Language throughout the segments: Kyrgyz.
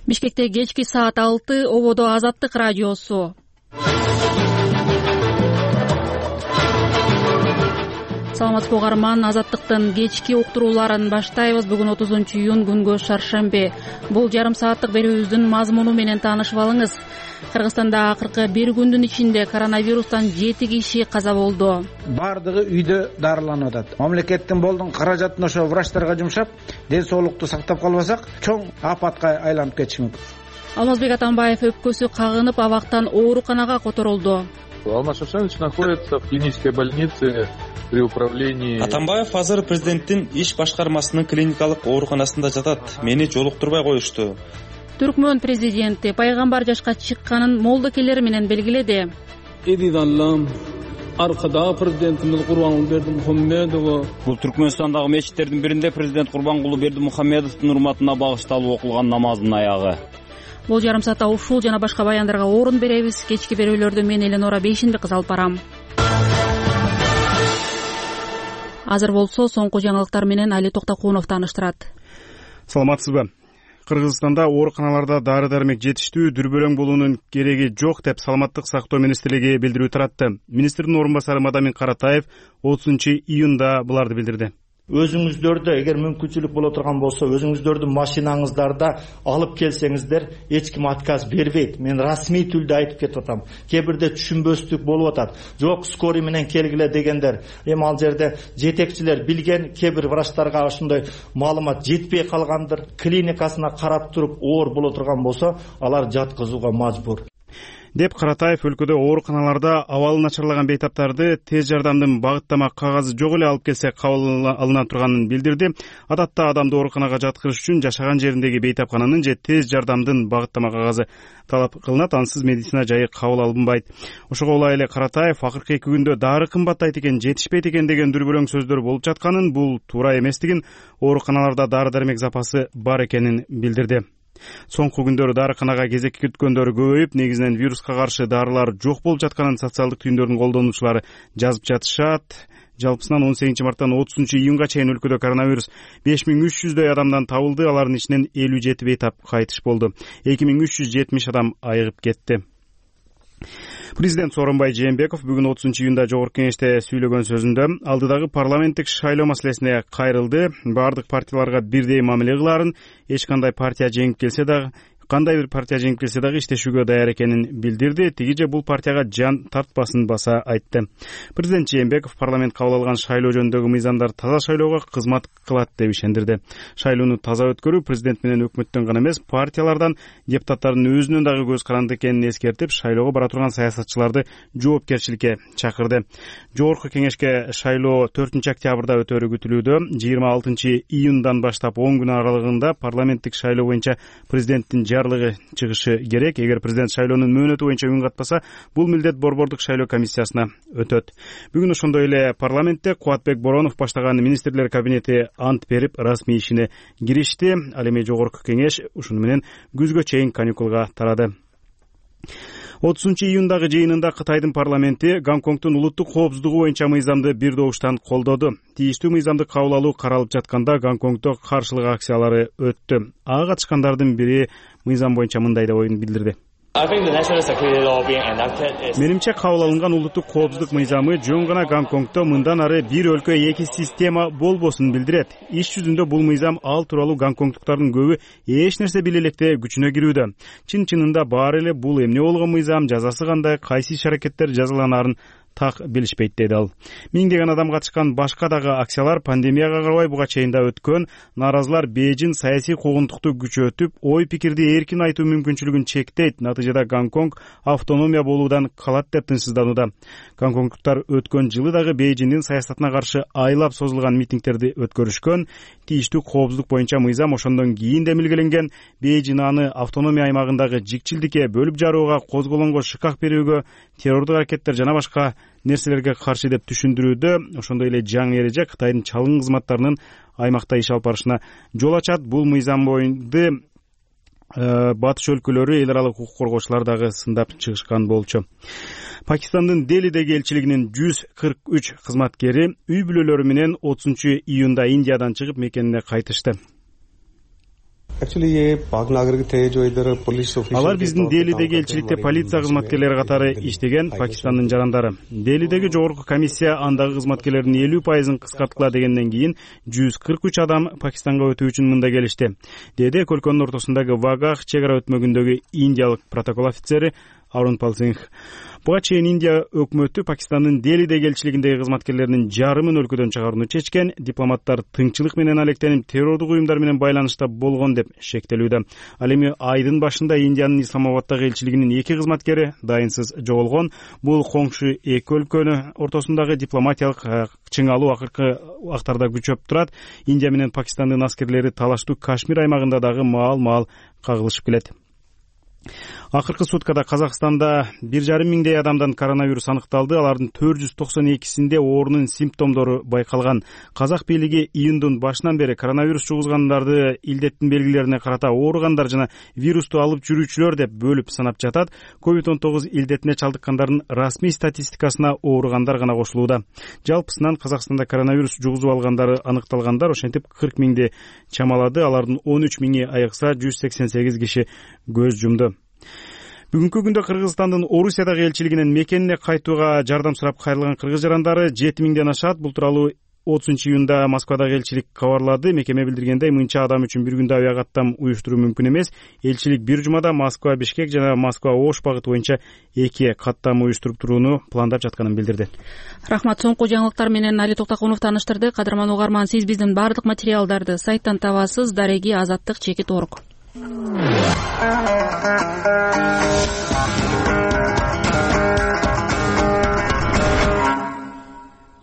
Бишкекте кечки саат 6 ободо Азаттык радиосу. Саламатсызбы угарман, Азаттыктын кечки уктурууларын баштайбыз. Бүгүн 30-июнь күнгө шаршемби. Бул жарым сааттык берүүбүздүн мазмуну менен таанышып алыңыз. Кыргызстанда акыркы бир күндүн ичинде коронавирустан 7 киши каза болду. Бардыгы үйдө дарыланып атат. Мамлекеттин болдун каражатын ошо врачтарга жумшап, ден соолукту сактап калбасак, чоң апатка айланып кетиши мүмкүн. Алмазбек Атамбаев өпкөсү кагынып абактан ооруканага которулду. Алмаз Шушанович находится в клинической больнице при управлении. Атамбаев азыр президенттин иш башкармасынын клиникалык ооруканасында жатат. Мени жолуктурбай коюшту. Түркмөн президенти пайгамбар жашка чыкканын молдокелери менен белгиледи. Эдидаллам аркада президентimiz Курбангулберди Мухаммедов. Бул Түркмөнстандагы мечиттердин биринде президент Курбангулберди Мухаммедовдун урматына багышталып окулган намаздын аягы. Бул жарым саатта ушул жана башка баяндарга орун беребиз. Кечки берүүлөрдү мен Эленора Бейшинбек кыз алып барам. Азыр болсо соңку жаңылыктар менен Али Токтокунов тааныштырат. Саламатсызбы? Кыргызстанда ооруканаларда дары-дармек жетиштүү, дүрбөлөң болуунун кереги жок деп Саламаттык сактоо министрлиги билдирүү таратты. Министрдин орун басары Мадамин Каратаев 30-июнда буларды билдирди. Өзүңүздөрдө эгер мүмкүнчүлүк боло турган болсо, өзүңүздөрдүн машинаңыздарда алып келсеңиздер, эч ким отказ бербейт. Мен расмий түрдө айтып кетип атам. Кээ бирде түшүнбөстүк болуп атат. Жок, скорый менен келгиле дегендер. Эми ал жерде жетекчилер билген, кээ бир врачтарга ошондой маалымат жетпей калгандыр. Клиникасына карап туруп оор боло турган болсо, алар жаткызууга мажбур деп Каратаев өлкөдө ооруканаларда абалы начарлаган бейтаптарды тез жардамдын багыттама кагазы жок эле алып келсе кабыл алына турганын билдирди. Адатта адамды ооруканага жаткырыш үчүн жашаган жериндеги бейтапкананын же тез жардамдын багыттама кагазы талап кылынат, ансыз медицина жайы кабыл алынбайт. Ошого улай эле Каратаев акыркы 2 күндө дары кымбаттайт экен, жетишпейт экен деген дүрбөлөң сөздөр болуп жатканын, бул туура эместигин, ооруканаларда дары-дармек запасы бар экенин билдирди. Соңку күндөрү дарыканага кезек күткөндөр көбөйүп, негизинен вируска каршы дарылар жок болуп жатканын социалдык түйүндөрдүн колдонуучулары жазып жатышат. Жалпысынан 18-марттан 30-июнга чейин өлкөдө коронавирус 5300дөй адамдан табылды. Алардын ичинен 57 бейтап кайтыш болду. 2370 адам айыгып кетти. Президент Сооронбай Жээнбеков бүгүн 30-июнда жогорку кеңеште сүйлөгөн сөзүндө алдыдагы парламенттик шайлоо маселесине кайрылды. Бардык партияларга бирдей мамиле кылаарын, эч кандай партия жеңип келсе дагы, кандай бир партия жеңип келсе дагы иштешүүгө даяр экенин билдирди. Тиги же бул партияга жан тартпасын баса айтты. Президент Жээнбеков парламент кабыл алган шайлоо жөнүндөгү мыйзамдар таза шайлоого кызмат кылат деп ишендирди. Шайлоону таза өткөрүү президент менен өкмөттөн гана эмес, партиялардан, депутаттардын өзүнөн дагы көз каранды экенин эскертип, шайлоого бара турган саясатчыларды жоопкерчиликке чакырды. Жогорку кеңешке шайлоо 4-октябрда өтөрү күтүлүүдө. 26-июндан баштап 10 күн аралыгында парламенттик шайлоо боюнча президенттин жарлыгы чыгышы керек. Эгер президент шайлоонун мөөнөтү боюнча үн катпаса, бул милдет борбордук шайлоо комиссиясына өтөт. Бүгүн ошондой эле парламентте Кубатбек Боронов баштаган министрлер кабинети ант берип, расмий ишине киришти. Ал эми жогорку кеңеш ушуну менен күзгө чейин каникулга тарады. 30-июндагы жыйынында Кытайдын парламенти Гонконгдун улуттук коопсуздугу боюнча мыйзамды бир добуштан колдоду. Тийиштүү мыйзамды кабыл алуу каралып жатканда Гонконгдо каршылык акциялары өттү. Ага катышкандардын бири мыйзам боюнча мындай деп оюн билдирди. Менимче кабыл алынган улуттук коопсуздук мыйзамы жөн гана Гонконгдо мындан ары бир өлкө эки система болбосун билдирет. Иш жүзүндө бул мыйзам ал тууралуу гонконгдуктардын көбү эч нерсе биле электе күчүнө кирүүдө. Чын-чынында баары эле бул эмне болгон мыйзам, жазасы кандай, кайсы иш-аракеттер жазаланаарын так билишпейт деди ал. Миңдеген адам катышкан башка дагы акциялар пандемияга карабай буга чейин да өткөн. Нааразылар Бейжин саясий куугунтукту күчөтүп, ой пикирди эркин айтуу мүмкүнчүлүгүн чектейт. Натыйжада Гонконг автономия болуудан калат деп тынчсызданууда. Гонконгдуктар өткөн жылы дагы Бейжиндин саясатына каршы айлап созулган митингдерди өткөрүшкөн. Тийиштүү коопсуздук боюнча мыйзам ошондон кийин демилгеленген. Бейжин аны автономия аймагындагы жикчилдикке, бөлүп жарууга, козголоңго шыкак берүүгө, террордук аракеттер жана башка нерселерге каршы деп түшүндүрүүдө. Ошондой эле жаңы эреже Кытайдын чалгын кызматтарынын аймакта иш алып барышына жол ачат. Бул мыйзам боюнча батыш өлкөлөрү эл аралык укук коргоочулар дагы сындап чыгышкан болчу. Пакистандын Делидеги элчилигинин 143 кызматкери үй бүлөлөрү менен 30-июнда Индиядан чыгып мекенине кайтышты. Алар биздин Делидеги элчиликте полиция кызматкерлери катары иштеген Пакистандын жарандары. Делидеги жогорку комиссия андагы кызматкерлердин 50% кыскарткыла дегенден кийин 143 адам Пакистанга өтүү үчүн мында келишти, деди өлкөнүн ортосундагы Вагах чек ара өтмөгүндөгү индиялык протокол офицери Арун Пал Сингх. Буга чейин Индия өкмөтү Пакистандын Делидеги элчилигиндеги кызматкерлеринин жарымын өлкөдөн чыгарууну чечкен. Дипломаттар тыңчылык менен алектенип террордук уюмдар менен байланышта болгон деп шектелүүдө. Ал эми айдын башында Индиянын Исламабаддагы элчилигинин 2 кызматкери дайынсыз жоголгон. Бул коңшу эки өлкөнүн ортосундагы дипломатиялык чыңалуу акыркы актарда күчөп турат. Индия менен Пакистандын аскерлери талаштуу Кашмир аймагында дагы маал кагылышып келет. Акыркы суткада Казакстанда 1,5 миңдей адамдан коронавирус аныкталды. Алардын 492синде оорунун симптомдору байкалган. Казак бийлиги июндун башынан бери коронавирус жугузгандарды илдеттин белгилерине карата ооругандар жана вирусту алып жүрүүчүлөр деп бөлүп санап жатат. COVID-19 илдетине чалдыккандардын расмий статистикасына ооругандар гана кошулууда. Жалпысынан Казакстанда коронавирус жугузуп алгандары аныкталгандар ошентип 40 миңди чамалады. Алардын 13 миңи айыкса, 188 киши көз жумду. Бүгүнкү күндө Кыргызстандын Орусиядагы элчилигинен мекенине кайтууга жардам сурап кайрылган кыргыз жарандары 7 миңден ашат. Бул тууралуу 30-июнда Москвадагы элчилик кабарлады. Мекеме билдиргендей, мынча адам үчүн бир күндө авиакаттам уюштуруу мүмкүн эмес. Элчилик бир жумада Москва Бишкек жана Москва Ош багыты боюнча 2 каттам уюштуруп турууну пландап жатканын билдирди. Рахмат. Соңку жаңылыктар менен Али Токтокунов тааныштырды. Кадырман угарман, сиз биздин баардык материалдарды сайттан табасыз. Дареги Азаттык.org.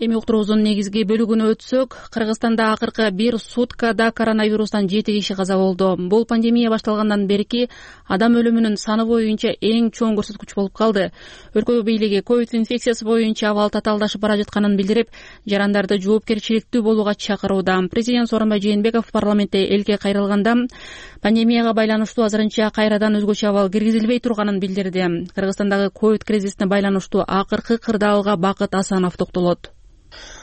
Эми уктуруубуздун негизги бөлүгүнө өтсөк, Кыргызстанда акыркы бир суткада коронавирустан 7 киши каза болду. Бул пандемия башталгандан берки адам өлүмүнүн саны боюнча эң чоң көрсөткүч болуп калды. Өлкө бийлиги ковид инфекциясы боюнча абал татаалдашып бара жатканын билдирип, жарандарды жоопкерчиликтүү болууга чакырууда. Президент Сооронбай Жээнбеков парламентте элге кайрылганда пандемияга байланыштуу азырынча кайрадан өзгөчө абал киргизилбей турганын билдирди. Кыргызстандагы ковид кризисине байланыштуу акыркы кырдаалга Бакыт Асанов токтолот.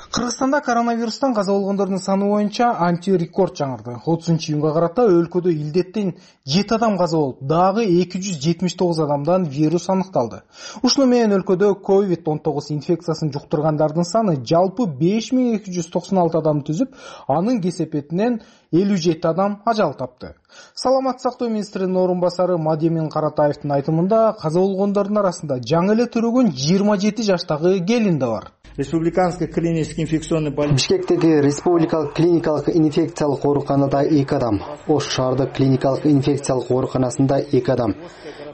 Кыргызстанда коронавирустан каза болгондордун саны боюнча антирекорд жаңырды. 30-июнга карата өлкөдө илдеттен 7 адам каза болуп, дагы 279 адамдан вирус аныкталды. Ушуну менен өлкөдө COVID-19 инфекциясын жуктургандардын саны жалпы 5296 адам түзүп, анын кесепетинен 57 адам ажал тапты. Саламаттык сактоо министринин орун басары Мадемин Каратаевдин айтымында каза болгондордун арасында жаңы эле төрөгөн 27 жаштагы келин да бар. Республиканский клинический инфекционный больница. Бишкектеги республикалык клиникалык инфекциялык ооруканада 2 адам, Ош шаардык клиникалык инфекциялык ооруканасында 2 адам,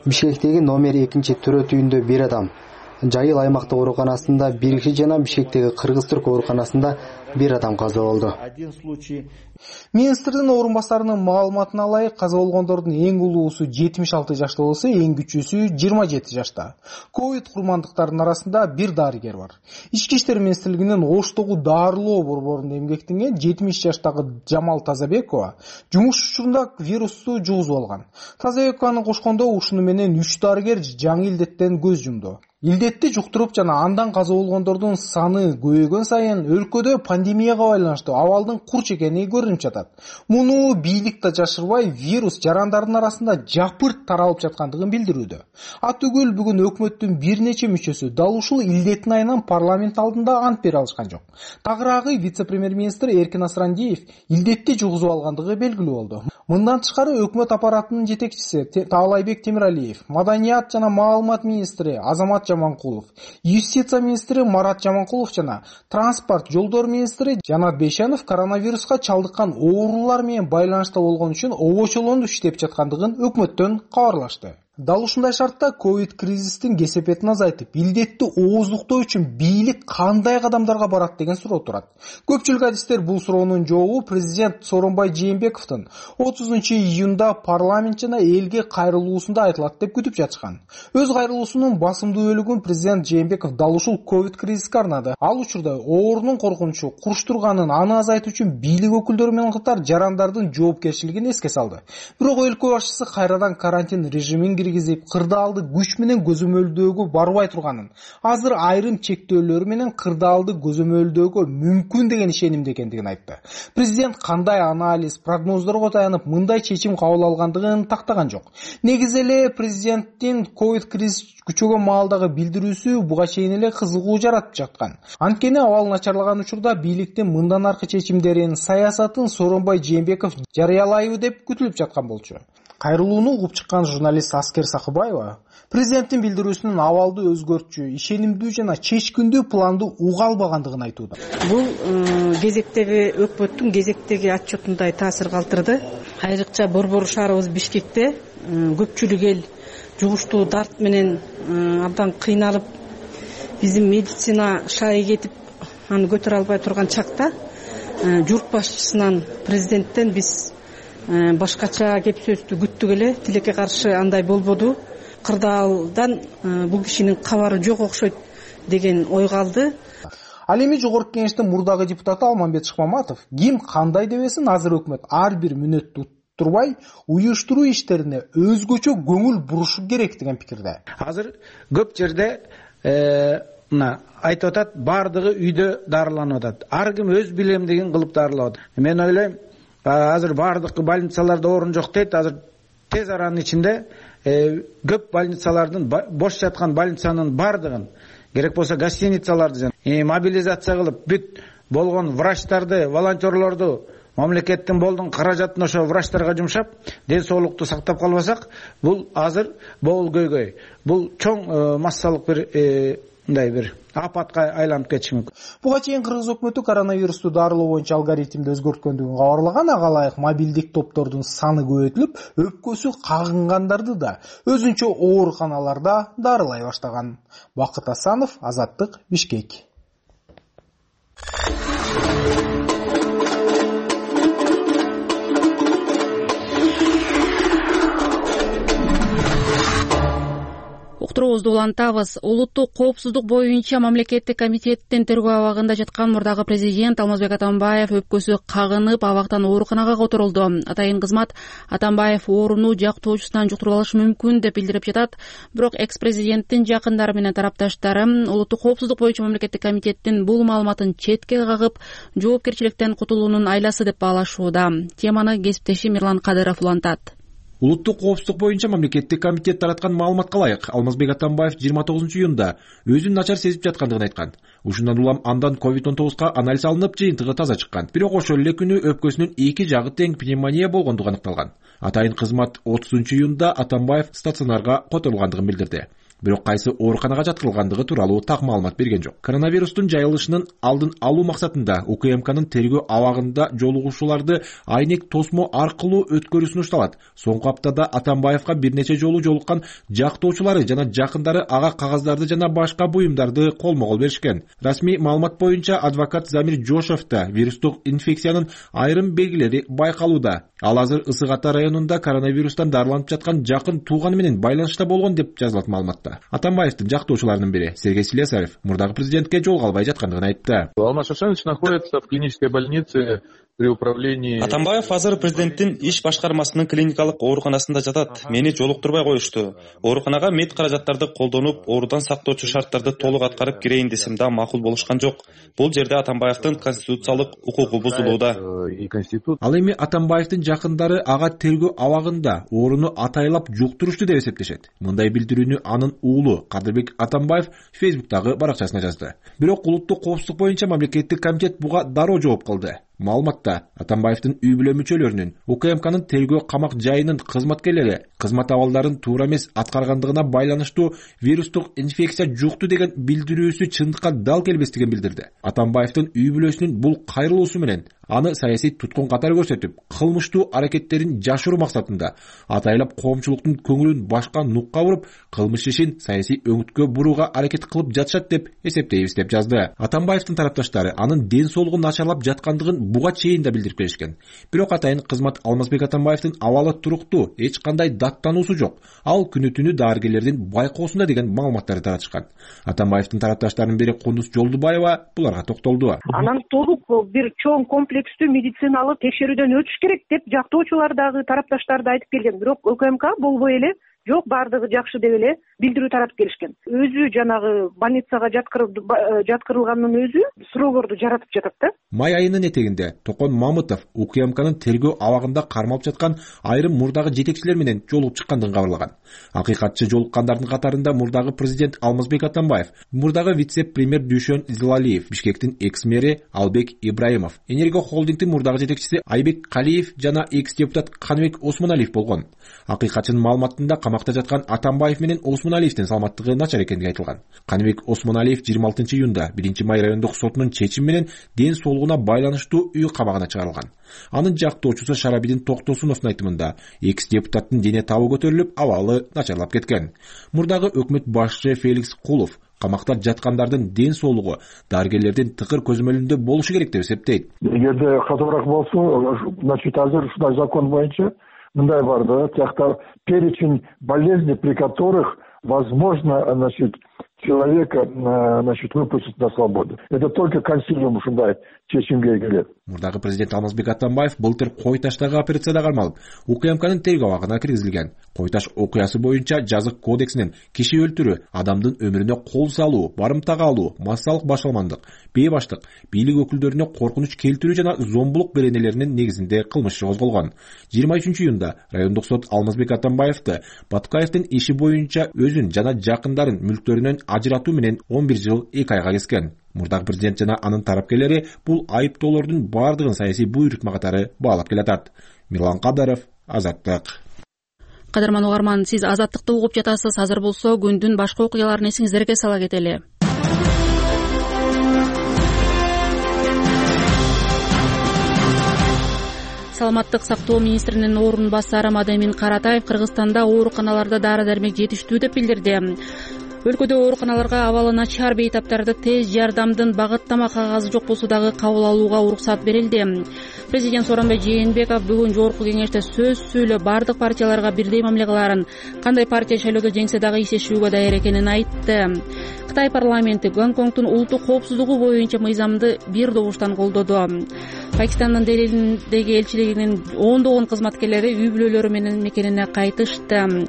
Бишкектеги номер 2 төрөт үйүндө 1 адам, Жайыл аймактык ооруканасында 1 киши жана Бишкектеги Кыргыз-Түрк ооруканасында 1 адам каза болду. Министрдин орун басарынын маалыматына ылайык, каза болгондордун эң улуусу 76 жашта болсо, эң күчүүсү 27 жашта. Ковид курмандыктарынын арасында бир дарыгер бар. Ички иштер министрлигинин Оштогу дарылоо борборунда эмгектенген 70 жаштагы Жамал Тазабекова жумуш учурунда вирусту жугузуп алган. Тазабекованы кошкондо ушуну менен 3 дарыгер жаңы илдеттен көз жумду. Илдетти жуктуруп жана андан каза болгондордун саны көбөйгөн сайын өлкөдө пандемияга байланыштуу абалдын курч экени көрүнүп жатат. Муну бийлик да жашырбай, вирус жарандардын арасында жапырт таралып жаткандыгын билдирүүдө. Атүгүл бүгүн өкмөттүн бир нече мүчөсү дал ушул илдеттин айынан парламент алдында ант бере алышкан жок. Тагыраагы вице-премьер-министр Эркин Асрандиев илдетти жугузуп алгандыгы белгилүү болду. Мындан тышкары өкмөт аппаратынын жетекчиси Таалайбек Темиралиев, маданият жана маалымат министри Азамат Жаманкулов, юстиция министри Марат Жаманкулов жана транспорт жолдор министри Жанат Бейшанов коронавируска чалдыккан оорулар менен байланышта болгон үчүн обочолонуп иштеп жаткандыгын өкмөттөн кабарлашты. Дал ушундай шартта ковид кризистин кесепетин азайтып, илдетти ооздуктоо үчүн бийлик кандай кадамдарга барат деген суроо турат. Көпчүлүк адистер бул суроонун жообу президент Сооронбай Жээнбековдун 30-июнда парламент жана элге кайрылуусунда айтылат деп күтүп жатышкан. Өз кайрылуусунун басымдуу бөлүгүн президент Жээнбеков дал ушул ковид кризиске арнады. Ал учурда оорунун коркунучу куруштурганын, аны азайтуу үчүн бийлик өкүлдөрү менен катар жарандардын жоопкерчилигин эске салды. Бирок өлкө башчысы кайрадан карантин режимин киргизип, кырдаалды күч менен көзөмөлдөөгө барбай турганын, азыр айрым чектөөлөр менен кырдаалды көзөмөлдөөгө мүмкүн деген ишенимде экендигин айтты. Президент кандай анализ, прогноздорго таянып мындай чечим кабыл алгандыгын тактаган жок. Негизи эле президенттин ковид кризис күчөгөн маалдагы билдирүүсү буга чейин эле кызыгуу жаратып жаткан. Анткени абал начарлаган учурда бийликтин мындан аркы чечимдерин, саясатын Сооронбай Жээнбеков жарыялайбы деп күтүлүп жаткан болчу. Кайрылууну угуп чыккан журналист Аскер Сакыбаева президенттин билдирүүсүнүн абалды өзгөртчү, ишенимдүү жана чечкиндүү планды уга албагандыгын айтууда. Бул кезектеги өкмөттүн кезектеги отчетундай таасир калтырды. Айрыкча борбор шаарыбыз Бишкекте көпчүлүк эл жугуштуу дарт менен абдан кыйналып, биздин медицина шайы кетип, аны көтөрө албай турган чакта журт башчысынан, президенттен биз башкача кеп сөздү күттүк эле. Тилекке каршы андай болбоду. Кырдаалдан бул кишинин кабары жок окшойт деген ой калды. Ал эми жогорку кеңештин мурдагы депутаты Алмамбет Шыкмаматов ким кандай дебесин, азыр өкмөт ар бир мүнөттү турбай уюштуруу иштерине өзгөчө көңүл бурушу керек деген пикирде. Азыр көп жерде мына айтып атат, бардыгы үйдө дарыланып атат. Ар ким өз билемдигин кылып дарылап атат. Мен ойлойм, азыр бардык больницаларда орун жок дейт. Азыр тез аранын ичинде көп больницалардын, бош жаткан больницанын бардыгын, керек болсо гостиницаларды мобилизация кылып, бүт болгон врачтарды, волонтерлорду, мамлекеттин болдун каражатын ошо врачтарга жумшап, ден соолукту сактап калбасак, бул азыр бол көйгөй. Бул чоң массалык бир апатка айланып кетиши мүмкүн. Буга чейин кыргыз өкмөтү коронавирусту дарылоо боюнча алгоритмди өзгөрткөндүгүн кабарлаган. Ага ылайык мобилдик топтордун саны көбөйтүлүп, өпкөсү кагынгандарды да өзүнчө ооруканаларда дарылай баштаган. Бакыт Асанов, Азаттык, Бишкек. Уктуруубузду улантабыз. Улуттук коопсуздук боюнча мамлекеттик комитеттин тергөө абагында жаткан мурдагы президент Алмазбек Атамбаев өпкөсү кагынып, абактан ооруканага которулду. Атайын кызмат Атамбаев ооруну жактоочусунан жуктуруп алышы мүмкүн деп билдирип жатат. Бирок экс-президенттин жакындары менен тарапташтары улуттук коопсуздук боюнча мамлекеттик комитеттин бул маалыматын четке кагып, жоопкерчиликтен кутулуунун айласы деп баалашууда. Теманы кесиптешим Мирлан Кадыров улантат. Улуттук коопсуздук боюнча мамлекеттик комитет тараткан маалыматка ылайык, Алмазбек Атамбаев 29-июнда өзүн начар сезип жаткандыгын айткан. Ушундан улам андан COVID-19 анализ алынып, жыйынтыгы таза чыккан. Бирок ошол эле күнү өпкөсүнүн эки жагы тең пневмония болгондугу аныкталган. Атайын кызмат 30-июнда Атамбаев стационарга которулгандыгын билдирди. Бирок кайсы ооруканага жаткырылгандыгы тууралуу так маалымат берген жок. Коронавирустун жайылышынын алдын алуу максатында УКМКнын тергөө абагында жолугушууларды айнек тосмо аркылуу өткөрүү сунушталат. Соңку аптада Атамбаевга бир нече жолу жолуккан жактоочулары жана жакындары ага кагаздарды жана башка буюмдарды колмо-кол беришкен. Расмий маалымат боюнча адвокат Замир Жошовдо вирустук инфекциянын айрым белгилери байкалууда. Ал азыр Ысык Ата районунда коронавирустан дарыланып жаткан жакын тууганы менен байланышта болгон деп жазылат маалыматта. Атамбаевдин жактоочуларынын бири Сергей Слесарев мурдагы президентке жолуга албай жаткандыгын айтты. Алмаз Шашанович находится в клинической больнице при управлении. Атамбаев азыр президенттин иш башкармасынын клиникалык ооруканасында жатат. Мени жолуктурбай коюшту. Ооруканага мед каражаттарды колдонуп, оорудан сактоочу шарттарды толук аткарып кирейин десем да макул болушкан жок. Бул жерде Атамбаевдин конституциялык укугу бузулууда. Ал эми Атамбаевдин жакындары ага тергөө абагында ооруну атайлап жуктурушту деп эсептешет. Мындай билдирүүнү анын уулу Кадырбек Атамбаев Фейсбуктагы баракчасына жазды. Бирок улуттук коопсуздук боюнча мамлекеттик комитет буга дароо жооп кылды. Маалыматта Атамбаевдин үй бүлө мүчөлөрүнүн УКМКнын тергөө камак жайынын кызматкерлери кызмат абалдарын туура эмес аткаргандыгына байланыштуу вирустук инфекция жукту деген билдирүүсү чындыкка дал келбестигин билдирди. Атамбаевдин үй бүлөсүнүн бул кайрылуусу менен аны саясий туткун катары көрсөтүп, кылмыштуу аракеттерин жашыруу максатында атайлап коомчулуктун көңүлүн башка нукка буруп, кылмыш ишин саясий өңүткө бурууга аракет кылып жатышат деп эсептейбиз деп жазды. Атамбаевдин тарапташтары анын ден соолугу начарлап жаткандыгын буга чейин да билдирип келишкен. Бирок атайын кызмат Алмазбек Атамбаевдин абалы туруктуу, эч кандай даттануусу жок. Ал күнү-түнү дарыгерлердин байкоосунда деген маалыматтарды таратышкан. Атамбаевдин тарапташтарынын бири Кундуз Жолдубаева буларга токтолду. Анан толук бир чоң комплекстүү медициналык текшерүүдөн өтүш керек деп жактоочулар дагы тарапташтар да айтып келген. Бирок УКМК болбой эле жок, баардыгы жакшы деп эле билдирүү таратып келишкен. Өзү жанагы больницага жаткырылгандын өзү суроолорду жаратып жатат да. Май айынын этегинде Токон Мамытов УКМКнын тергөө абагында кармалып жаткан айрым мурдагы жетекчилер менен жолугуп чыккандыгын кабарлаган. Акыйкатчы жолуккандардын катарында мурдагы президент Алмазбек Атамбаев, мурдагы вице-премьер Дүйшөн Зилалиев, Бишкектин экс-мэри Албек Ибраимов, Энерго холдингдин мурдагы жетекчиси Айбек Калиев жана экс-депутат Каныбек Осмоналиев болгон. Акыйкатчынын маалыматында камакта жаткан Атамбаев менен Осмоналиевдин саламаттыгы начар экендиги айтылган. Каныбек Осмоналиев 26 июнда 1 май райондук сотунун чечими менен ден соолугуна байланыштуу үй кабагына чыгарылган. Анын жактоочусу Шарабидин Токтосуновдун айтымында экс-депутаттын дене табы көтөрүлүп, абалы начарлап кеткен. Мурдагы өкмөт башчы Феликс Кулов камакта жаткандардын ден соолугу дарыгерлердин тыкыр көзөмөлүндө болушу керек деп эсептейт. Эгерде катуураак болсо, значит, азыр ушундай закон боюнча мындай бар да, тиякта перечень болезней, при которых возможно, значит, человека, значит, выпустить на свободу. Это только консилиум ушундай чечимге келет. Мурдагы президент Алмазбек Атамбаев былтыр Кой таштагы операцияда кармалып, УКМКнын тергөө абагына киргизилген. Кой таш окуясы боюнча жазык кодексинин киши өлтүрүү, адамдын өмүрүнө кол салуу, барымтага алуу, массалык башаламандык, бейбаштык, бийлик өкүлдөрүнө коркунуч келтирүү жана зомбулук беренелеринин негизинде кылмыш козголгон. 23 июнда райондук сот Алмазбек Атамбаевди Баткаевдин иши боюнча өзүн жана жакындарын мүлктөрүнөн ажыратуу менен 11 жыл 2 айга кескен. Мурдагы президент жана анын тарапкерлери бул айыптоолордун бардыгын саясий буйрутма катары баалап келатат. Мирлан Кадаров, Азаттык. Кадырман угарман, сиз Азаттыкты угуп жатасыз. Азыр болсо күндүн башка окуяларын эсиңиздерге сала кетели. Саламаттык сактоо министринин орун басары Мадемин Каратаев Кыргызстанда ооруканаларда дары-дармек жетиштүү деп билдирди. Өлкөдө ооруканаларга абалы начар бейтаптарды тез жардамдын багыттама кагазы жок болсо дагы кабыл алууга уруксат берилди. Президент Сооронбай Жээнбеков бүгүн жогорку кеңеште сөз сүйлөп, бардык партияларга бирдей мамиле кыларын, кандай партия шайлоодо жеңсе дагы иштешүүгө даяр экенин айтты. Кытай парламенти Гонконгдун улуттук коопсуздугу боюнча мыйзамды бир добуштан колдоду. Пакистандын Делидеги элчилигинин ондогон кызматкерлери үй бүлөлөрү менен мекенине кайтышты.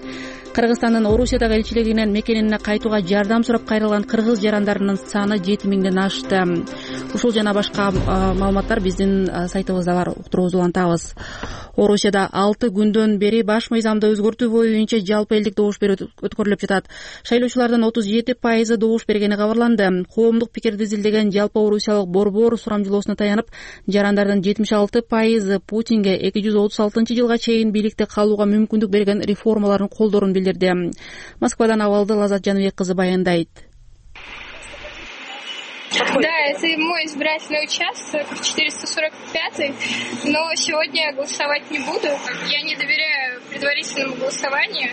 Кыргызстандын Орусиядагы элчилигинен мекенине кайтууга жардам сурап кайрылган кыргыз жарандарынын саны 7000ден ашты. Ушул жана башка маалыматтар биздин сайтыбызда бар, уктуруубузду улантабыз. Орусияда 6 күндөн бери баш мыйзамды өзгөртүү боюнча жалпы элдик добуш берүү өткөрүлүп жатат. Шайлоочулардын 37% добуш бергени кабарланды. Коомдук пикирди изилдеген жалпы орусиялык борбор сурамжылоосуна таянып, жарандардын 76% Путинге 2036-жылга чейин бийликте калууга мүмкүндүк берген реформаларын колдоорун билдирди. Москвадан абалды Лазат Жаныбек кызы баяндайт. Да, это мой избирательный участок, 445-й, но сегодня я голосовать не буду. Я не доверяю предварительному голосованию,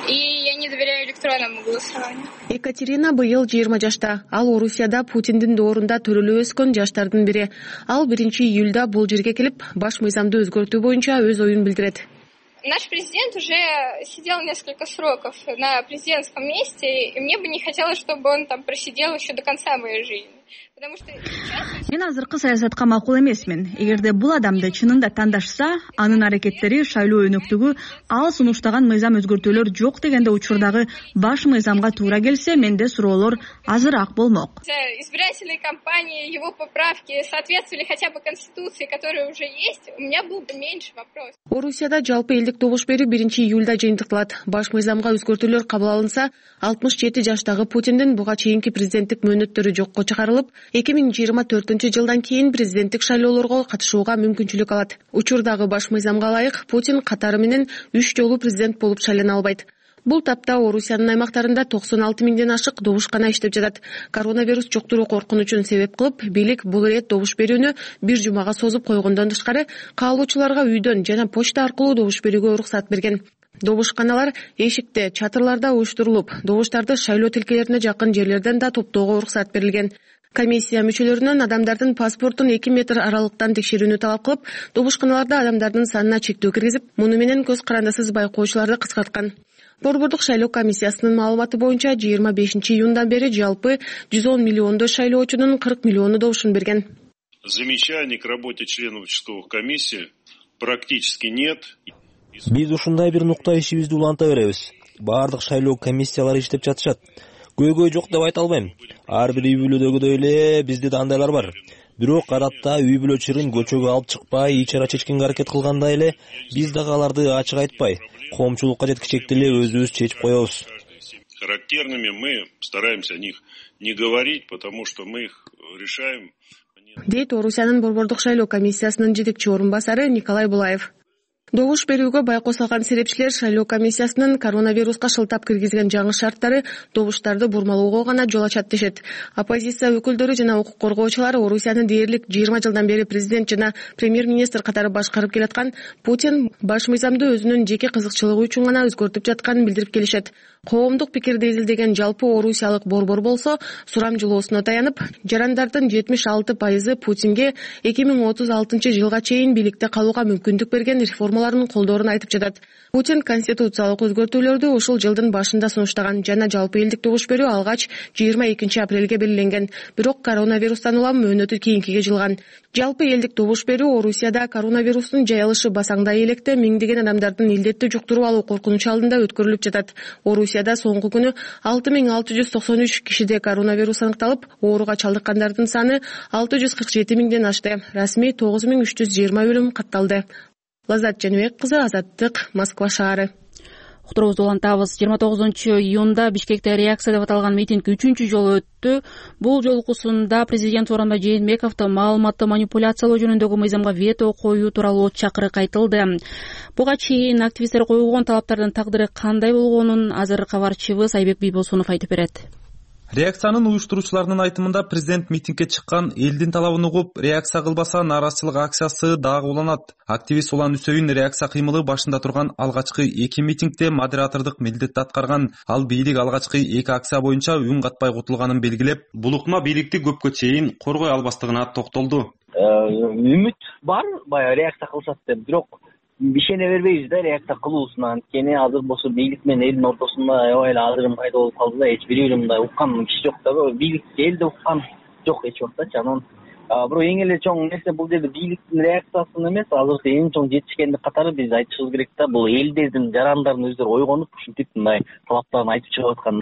и я не доверяю электронному голосованию. Екатерина быйыл 20 жашта. Ал Орусияда Путиндин доорунда төрөлүп өскөн жаштардын бири. Ал 1 июлда бул жерге келип, баш мыйзамды өзгөртүү боюнча өз оюн билдирет. Наш президент уже сидел несколько сроков на президентском месте, и мне бы не хотелось, чтобы он там просидел еще до конца моей жизни. Мен азыркы саясатка макул эмесмин. Эгерде бул адамды чынында тандашса, анын аракеттери, шайлоо өнөктүгү, ал сунуштаган мыйзам өзгөртүүлөр жок дегенде учурдагы баш мыйзамга туура келсе, менде суроолор азыраак болмок. Избирательной кампании, его поправки соответствовали хотя бы конституции, которая уже есть, у меня был бы меньше вопросов. Орусияда жалпы элдик добуш берүү 1 июлда жыйынтыкталат. Баш мыйзамга өзгөртүүлөр кабыл алынса, 67 жаштагы Путиндин буга чейинки президенттик мөөнөттөрү жокко чыгарылып, 2024-жылдан кийин президенттик шайлоолорго катышууга мүмкүнчүлүк алат. Учурдагы баш мыйзамга ылайык Путин катары менен 3 жолу президент болуп шайлана албайт. Бул тапта Орусиянын аймактарында 96 000ден ашык добушкана иштеп жатат. Коронавирус жуктуруу коркунучун себеп кылып, бийлик бул ирет добуш берүүнү 1 жумага созуп койгондон тышкары, каалоочуларга үйдөн жана почта аркылуу добуш берүүгө уруксат берген. Добушканалар эшикте, чатырларда уюштурулуп, добуштарды шайлоо тилкелерине жакын жерлерден да топтоого уруксат берилген. Комиссия мүчөлөрүнөн адамдардын паспортун 2 метр аралыктан текшерүүнү талап кылып, добушканаларда адамдардын санына чектөө киргизип, муну менен көз карандысыз байкоочуларды кыскарткан. Борбордук шайлоо комиссиясынын маалыматы боюнча 25 июндан бери жалпы 110 миллиондой шайлоочунун 40 миллиону добушун берген. Замечаний к работе членов участковых комиссий практически нет. Биз ушундай бир нукта ишибизди уланта беребиз. Баардык шайлоо комиссиялары иштеп жатышат. Көйгөй жок деп айта албайм. Ар бир үй бүлөдөгүдөй эле бизде да андайлар бар. Бирок адатта үй бүлө чырын көчөгө алып чыкпай, ичара чечкенге аракет кылгандай эле биз дагы аларды ачык айтпай, коомчулукка жеткичекти эле өзүбүз чечип коебуз. Характерными мы стараемся о них не говорить, потому что мы их решаем. Дейт Орусиянын борбордук шайлоо комиссиясынын жетекчи орун басары Николай Булаев. Добуш берүүгө байкоос алган серепчилер шайлоо комиссиясынын коронавируска шылтап киргизген жаңы шарттары добуштарды бурмалоого гана жол ачат дешет. Оппозиция өкүлдөрү жана укук коргоочулар Орусияны дээрлик 20 жылдан бери президент жана премьер-министр катары башкарып келаткан Путин баш мыйзамды өзүнүн жеке кызыкчылыгы үчүн гана өзгөртүп жатканын билдирип келишет. Коомдук пикирди изилдеген жалпы орусиялык борбор болсо сурамжылоосуна таянып, жарандардын 76% Путинге 2036-жылга чейин бийликте калууга мүмкүндүк берген реформаларын колдоорун айтып жатат. Путин конституциялык өзгөртүүлөрдү ушул жылдын башында сунуштаган жана жалпы элдик добуш берүү алгач 22 апрелге белгиленген. Бирок коронавирустан улам мөөнөтү кийинкиге жылган. Жалпы элдик добуш берүү Орусияда коронавирустун жайылышы басаңдай электе миңдеген адамдардын илдетти жуктуруп алуу коркунучу алдында өткөрүлүп жатат. Орусияда соңку күнү 6693 кишиде коронавирус аныкталып, ооруга чалдыккандардын саны 647 миңден ашты. Расмий 9320 өлүм катталды. Лаззат Жаныбек кызы, Азаттык, Москва шаары. Уктуруубузду улантабыз. 29-июнда Бишкекте реакция деп аталган митинг 3-чү жолу өттү. Бул жолкусунда президент Сооронбай Жээнбековду маалыматты манипуляциялоо жөнүндөгү мыйзамга вето коюу тууралуу чакырык айтылды. Буга чейин активисттер койгон талаптардын тагдыры кандай болгонун азыр кабарчыбыз Айбек Бийбосунов айтып берет. Реакциянын уюштуруучуларынын айтымында президент митингге чыккан элдин талабын угуп, реакция кылбаса нааразычылык акциясы дагы уланат. Активист Улан Үсөйүн реакция кыймылы башында турган алгачкы 2 митингде модератордук милдетти аткарган. Ал бийлик алгачкы 2 акция боюнча үн катпай кутулганын белгилеп, бул ыкма бийликти көпкө чейин коргой албастыгына токтолду. Үмүт бар, баягы реакция кылышат деп, бирок ишене бербейбиз да реакция кылуусуна. Анткени азыр болсо бийлик менен элдин ортосунда аябай эле ажырым пайда болуп калды да, эч бири мындай уккан киши жок да, бийлик элди уккан жок эч убакта. Анан бирок эң эле чоң нерсе бул жерде бийликтин реакциясын эмес, азыркы эң чоң жетишкендик катары биз айтышыбыз керек да, бул элдердин, жарандардын өздөрү ойгонуп ушинтип мындай талаптарын айтып чыгып аткан.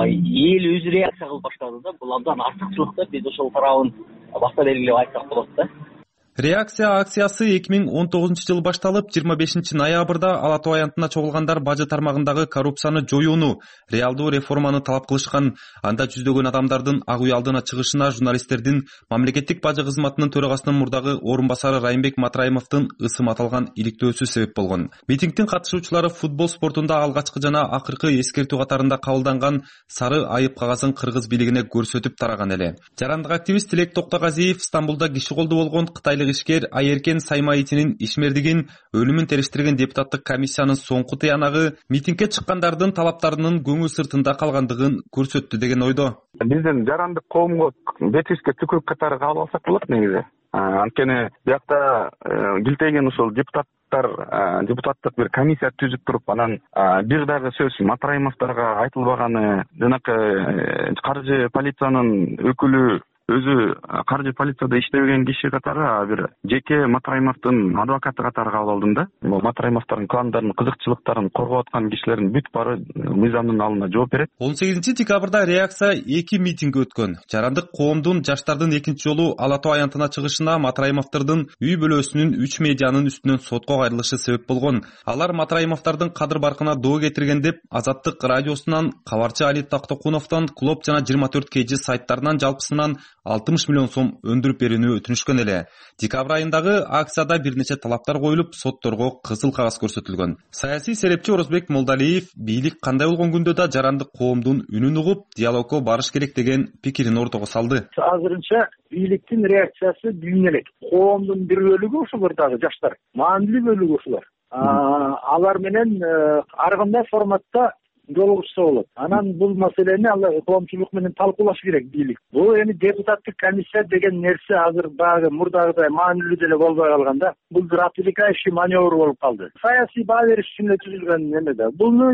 Эл өзү реакция кылып баштады да, бул абдан артыкчылык да, биз ошол тарабын баса белгилеп айтсак болот да. Реакция акциясы 2019-жыл башталып, 25 ноябрда Ала Тоо аянтына чогулгандар бажы тармагындагы коррупцияны жоюуну, реалдуу реформаны талап кылышкан. Анда жүздөгөн адамдардын ак үй алдына чыгышына журналисттердин мамлекеттик бажы кызматынын төрагасынын мурдагы орун басары Райымбек Матраимовдун ысым аталган иликтөөсү себеп болгон. Митингдин катышуучулары футбол спортунда алгачкы жана акыркы эскертүү катарында кабылданган сары айып кагазын кыргыз бийлигине көрсөтүп тараган эле. Жарандык активист Тилек Токтогазиев Стамбулда киши колду болгон кытайлык ишкер Айеркен Саймаитинин ишмердигин өлүмүн териштирген депутаттык комиссиянын соңку тыянагы митингге чыккандардын талаптарынын көңүл сыртында калгандыгын көрсөттү деген ойдо. Биздин жарандык коомго бетишке түкүрүк катары кабыл алсак болот негизи. Анткени биякта килтейген ушул депутаттык бир комиссия түзүп туруп, анан бир дагы сөз Матраимовдорго айтылбаганы, жанакы каржы полициянын өкүлү өзү каржы полицияда иштебеген киши катары бир жеке Матраимовдун адвокаты катары кабыл алдым да. Матраимовдордун кландарын, кызыкчылыктарын коргоп аткан кишилердин бүт баары мыйзамдын алдында жооп берет. 18 декабрда реакция 2 митинг өткөн. Жарандык коомдун жаштардын экинчи жолу Ала Тоо аянтына чыгышына Матраимовдордун үй бүлөсүнүн 3 медианын үстүнөн сотко кайрылышы себеп болгон. Алар Матраимовдордун кадыр баркына доо кетирген деп Азаттык радиосунан, кабарчы Али Тактокуновдон, Клоп жана 24 KG сайттарынан жалпысынан 60 миллион сом өндүрүп берүүнү өтүнүшкөн эле. Декабрь айындагы акцияда бир нече талаптар коюлуп, сотторго кызыл кагаз көрсөтүлгөн. Саясий серепчи Орозбек Молдалиев бийлик кандай болгон күндө да жарандык коомдун үнүн угуп, диалогко барыш керек деген пикирин ортого салды. Азырынча бийликтин реакциясы билине элек. Коомдун бир бөлүгү ошолор дагы жаштар, маанилүү бөлүгү ошолор. Алар менен ар кандай форматта жолугушса болот. Анан бул маселени ал коомчулук менен талкуулаш керек бийлик. Бул эми депутаттык комиссия деген нерсе азыр баягы мурдагыдай маанилүү деле болбой калган да. Бул бир отвлекающий маневр болуп калды. Саясий баа бериш үчүн эле түзүлгөн эме да. Буну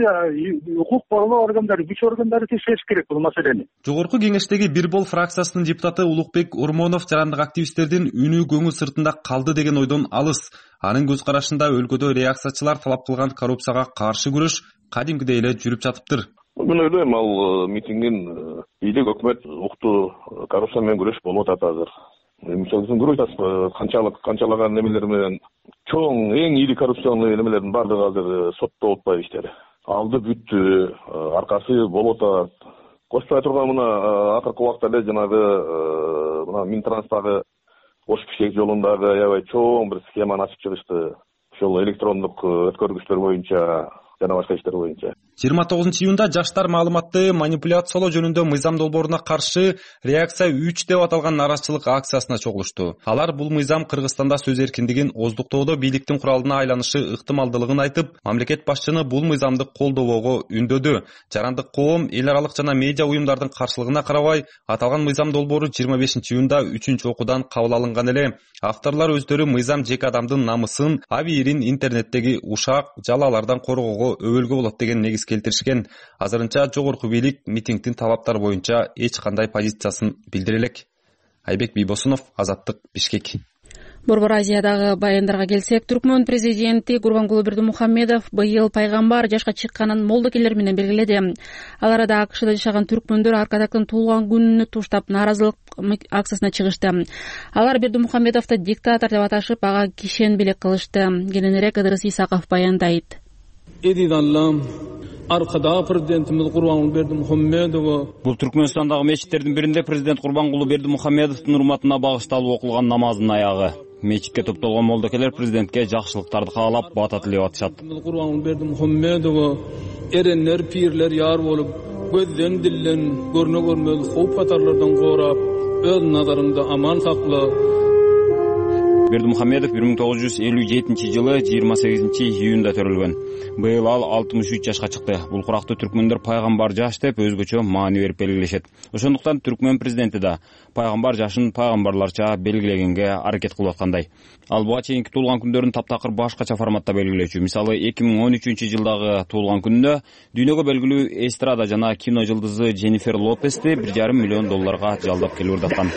укук коргоо органдары, күч органдары текшериш керек бул маселени. Жогорку кеңештеги Бир бол фракциясынын депутаты Улукбек Ормонов жарандык активисттердин үнү көңүл сыртында калды деген ойдон алыс. Анын көз карашында өлкөдө реакциячылар талап кылган коррупцияга каршы күрөш кадимкидей эле жүрүп жатыптыр. Мен ойлойм, ал митингдин бийлик өкмөт уктуу коррупция менен күрөш болуп атат азыр. Мисалы үчүн көрүп атасыз, канчалаган немелер менен чоң эң ири коррупциялык немелердин баардыгы азыр соттолуп атпайбы иштери. Алды бүттү, аркасы болуп атат. Кошпой турган мына акыркы убакта эле жанагы мына Минтранстагы ош пишек жолундагы аябай чоң бир схеманы ачып чыгышты. Ошол электрондук өткөргүчтөр боюнча жана башка иштер боюнча. 29-июнда жаштар маалыматты манипуляциялоо жөнүндө мыйзам долборуна каршы реакция 3 деп аталган нараазачылык акциясына чогулушту. Алар бул мыйзам Кыргызстанда сөз эркиндигин оздуктоодо бийликтин куралына айланышы ыктымалдылыгын айтып, мамлекет башчыны бул мыйзамды колдобоого үндөдү. Жарандык коом, эл аралык жана медиа уюмдардын каршылыгына карабай, аталган мыйзам долбоору 25-июнда 3 окуудан кабыл алынган эле. Авторлор өздөрү мыйзам жеке адамдын намысын, абийирин интернеттеги ушак, жалалардан коргоого өбөлгө болот деген негиз келтиришкен. Азырынча жогорку бийлик митингдин талаптары боюнча эч кандай позициясын билдире элек. Айбек Бийбосунов, Азаттык, Бишкек. Борбор Азиядагы баяндарга келсек, Түркмөн президенти Гурбангулы Бердимухамедов быйыл пайгамбар жашка чыкканын молдокелер менен белгиледи. Ал арада АКШда жашаган түркмөндөр Аркадактын туулган күнүнү туштап нааразылык акциясына чыгышты. Алар Бердимухамедовду диктатор деп аташып, ага кишенбелек кылышты. Кененирээк Ыдырыс Исаков баяндайт. Аркада президентimiz Гурбангулы Бердимухамедов. Бул Түркмөнстандагы мечиттердин биринде президент Гурбангулы Бердимухамедовдун урматына багышталып окулган намаздын аягы. Мечитке топтолгон молдокелер президентке жакшылыктарды каалап, бата тилеп атышат. Гурбангулы Бердимухамедов эреннер, пирлер яр болуп, көздөн дилден көрнө-көрмөз хоп катарлардан коорап, өз назарыңда аман сакла. Бердимухамедов 1957-жылы 28-июнда төрөлгөн. Быйыл ал 63 жашка чыкты. Бул куракты түркмөндөр пайгамбар жаш деп өзгөчө маани берип белгилешет. Ошондуктан түркмөн президенти да пайгамбар жашын пайгамбарларча белгилегенге аракет кылып аткандай. Ал буга чейинки туулган күндөрүн таптакыр башкача форматта белгилечү. Мисалы 2013-жылдагы туулган күнүндө дүйнөгө белгилүү эстрада жана кино жылдызы Дженнифер Лопести $1,5 миллион жалдап келип ырдаткан.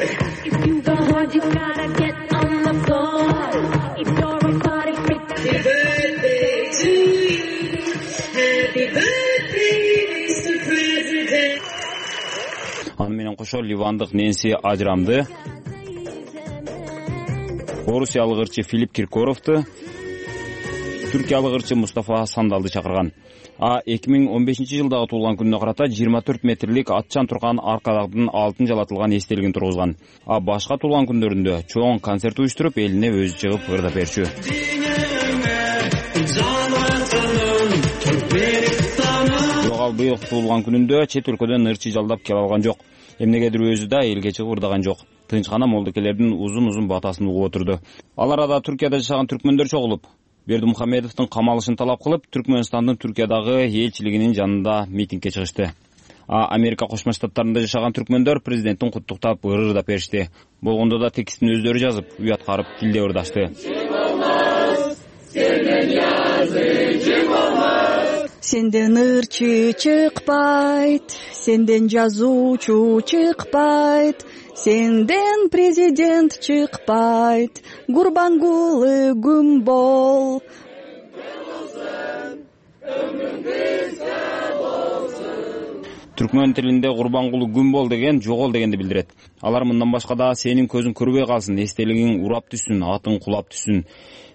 Аны менен кошо ливандык Нэнси Ажрамды, орусиялык ырчы Филипп Киркоровду, түркиялык ырчы Мустафа Сандалды чакырган. 2015-жылдагы туулган күнүнө карата 24 метрлик атчан турган Аркадактын алтын жалатылган эстелигин тургузган. Башка туулган күндөрүндө чоң концерт уюштуруп, элине өзү чыгып ырдап берчү. Ал быйыл туулган күнүндө чет өлкөдөн ырчы жалдап келе алган жок. Эмнегедир өзү да элге чыгып ырдаган жок. Тынчкана молдокелердин узун батасын угуп отурду. Ал арада Түркияда жашаган түркмөндөр чогулуп, Бердимухамедовдун камалышын талап кылып, Түркмөнстандын Түркиядагы элчилигинин жанында митингге чыгышты. Америка Кошмо Штаттарында жашаган түркмөндөр президенттин куттуктап ырдап беришти. Болгондо да текстин өздөрү жазып, уят карып тилде ырдашты. Сенден ырчы чыкпайт, сенден жазуучу чыкпайт, сенден президент чыкпайт, Гурбангулы күн бол. Түркмөн тилинде Гурбангулы күн бол деген жогол дегенди билдирет. Алар мындан башка да сенин көзүң көрбөй калсын, эстелигиң урап түссүн, атың кулап түссүн.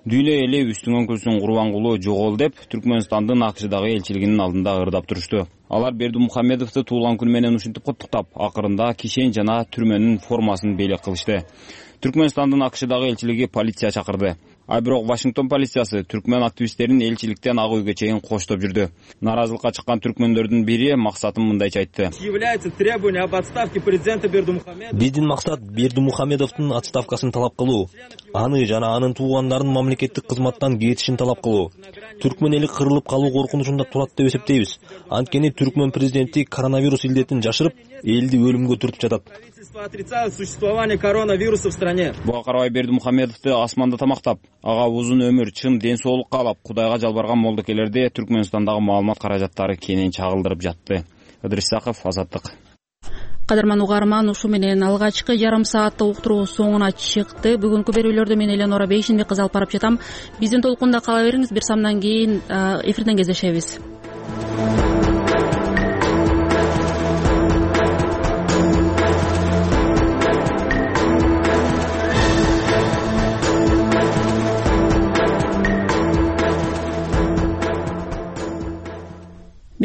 Дүйнө эли үстүңөн күлсүн Гурбангулу жогол деп Түркмөнстандын АКШдагы элчилигинин алдында ырдап турушту. Алар Бердимухамедовду туулган күнү менен ушинтип куттуктап, акырында кишен жана түрмөнүн формасын белек кылышты. Түркмөнстандын АКШдагы элчилиги полиция чакырды. Бирок Вашингтон полициясы түркмөн активисттерин элчиликтен ак үйгө чейин коштоп жүрдү. Нааразылыкка чыккан түркмөндөрдүн бири максатын мындайча айтты. Биздин максат Бердимухамедовдун отставкасын талап кылуу, аны жана анын туугандарынын мамлекеттик кызматтан кетишин талап кылуу. түркмөн эли кырылып калуу коркунучунда турат деп эсептейбиз. Анткени түркмөн президенти коронавирус илдетин жашырып, элди өлүмгө түртүп жатат. Отрицают существование коронавируса в стране. Буга карабай Бердимухамедовду асманда тамактап, ага узун өмүр, чын ден соолук каалап, Кудайга жалбарган молдокелерди Түркмөнстандагы маалымат каражаттары кенен чагылдырып жатты. Ыдырыс Исаков, Азаттык. Кадырман угарман, ушу менен алгачкы жарым сааттык уктуруу соңуна чыкты. Бүгүнкү берүүлөрдү мен Эленора Бейшинбек кызы алып барып жатам. Биздин толкунда кала бериңиз. Бир самдан кийин эфирден кездешебиз.